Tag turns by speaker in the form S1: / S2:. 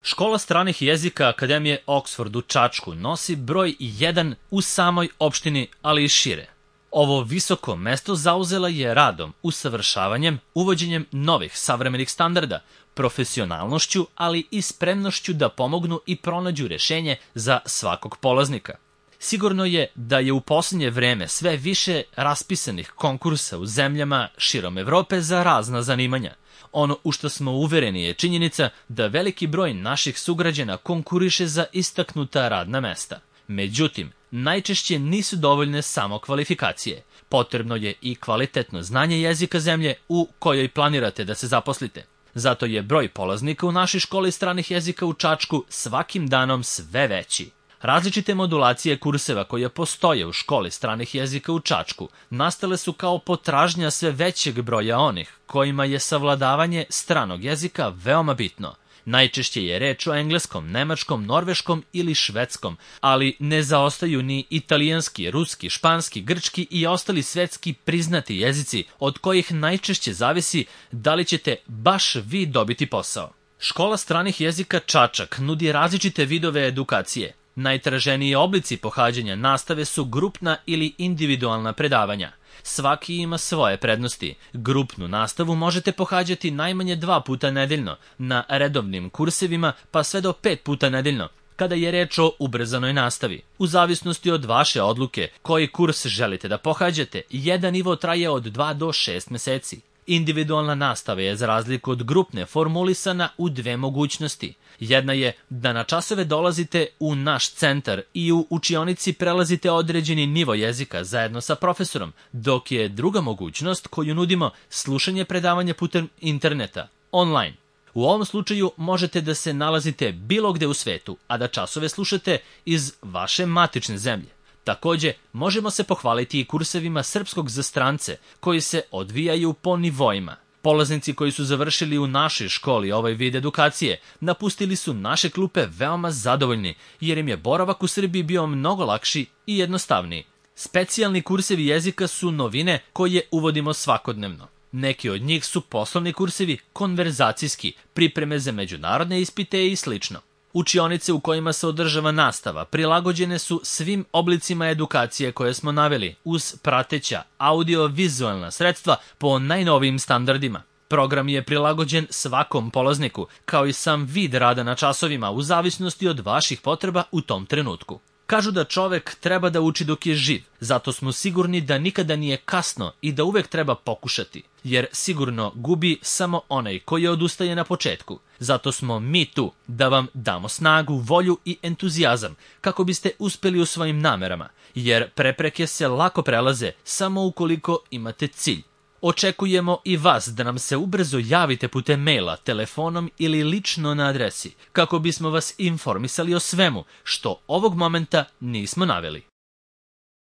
S1: Škola stranih jezika Akademije Oxford u Čačku nosi broj 1 u samoj opštini, ali i šire. Ovo visoko mesto zauzela je radom, usavršavanjem, uvođenjem novih savremenih standarda, profesionalnošću, ali i spremnošću da pomognu i pronađu rešenje za svakog polaznika. Sigurno je da je u posljednje vreme sve više raspisanih konkursa u zemljama širom Evrope za razna zanimanja. Ono u što smo uvereni je činjenica da veliki broj naših sugrađana konkuriše za istaknuta radna mesta. Međutim, najčešće nisu dovoljne samo kvalifikacije. Potrebno je i kvalitetno znanje jezika zemlje u kojoj planirate da se zaposlite. Zato je broj polaznika u našoj školi stranih jezika u Čačku svakim danom sve veći. Različite modulacije kurseva koje postoje u školi stranih jezika u Čačku nastale su kao potražnja sve većeg broja onih kojima je savladavanje stranog jezika veoma bitno. Najčešće je reč o engleskom, nemačkom, norveškom ili švedskom, ali ne zaostaju ni italijanski, ruski, španski, grčki i ostali svetski priznati jezici od kojih najčešće zavisi da li ćete baš vi dobiti posao. Škola stranih jezika Čačak nudi različite vidove edukacije. Najtraženiji oblici pohađanja nastave su grupna ili individualna predavanja. Svaki ima svoje prednosti. Grupnu nastavu možete pohađati najmanje 2 puta nedeljno, na redovnim kursevima pa sve do 5 puta nedeljno, kada je reč o ubrzanoj nastavi. U zavisnosti od vaše odluke koji kurs želite da pohađate, jedan nivo traje od 2 do 6 meseci. Individualna nastava je za razliku od grupne formulisana u 2 mogućnosti. Jedna je da na časove dolazite u naš centar i u učionici prelazite određeni nivo jezika zajedno sa profesorom, dok je druga mogućnost koju nudimo slušanje predavanja putem interneta, online. U ovom slučaju možete da se nalazite bilo gde u svetu, a da časove slušate iz vaše matične zemlje. Takođe, možemo se pohvaliti i kursevima srpskog za strance, koji se odvijaju po nivoima. Polaznici koji su završili u našoj školi ovaj vid edukacije napustili su naše klupe veoma zadovoljni, jer im je boravak u Srbiji bio mnogo lakši i jednostavniji. Specijalni kursevi jezika su novine koje uvodimo svakodnevno. Neki od njih su poslovni kursevi, konverzacijski, pripreme za međunarodne ispite i slično. Učionice u kojima se održava nastava prilagođene su svim oblicima edukacije koje smo naveli, uz prateća audio-vizualna sredstva po najnovijim standardima. Program je prilagođen svakom polazniku, kao i sam vid rada na časovima u zavisnosti od vaših potreba u tom trenutku. Kažu da čovek treba da uči dok je živ, zato smo sigurni da nikada nije kasno i da uvek treba pokušati, jer sigurno gubi samo onaj koji odustaje na početku. Zato smo mi tu da vam damo snagu, volju i entuzijazam kako biste uspeli u svojim namerama, jer prepreke se lako prelaze samo ukoliko imate cilj. Očekujemo i vas da nam se ubrzo javite putem maila, telefonom ili lično na adresi, kako bismo vas informisali o svemu što ovog momenta nismo naveli.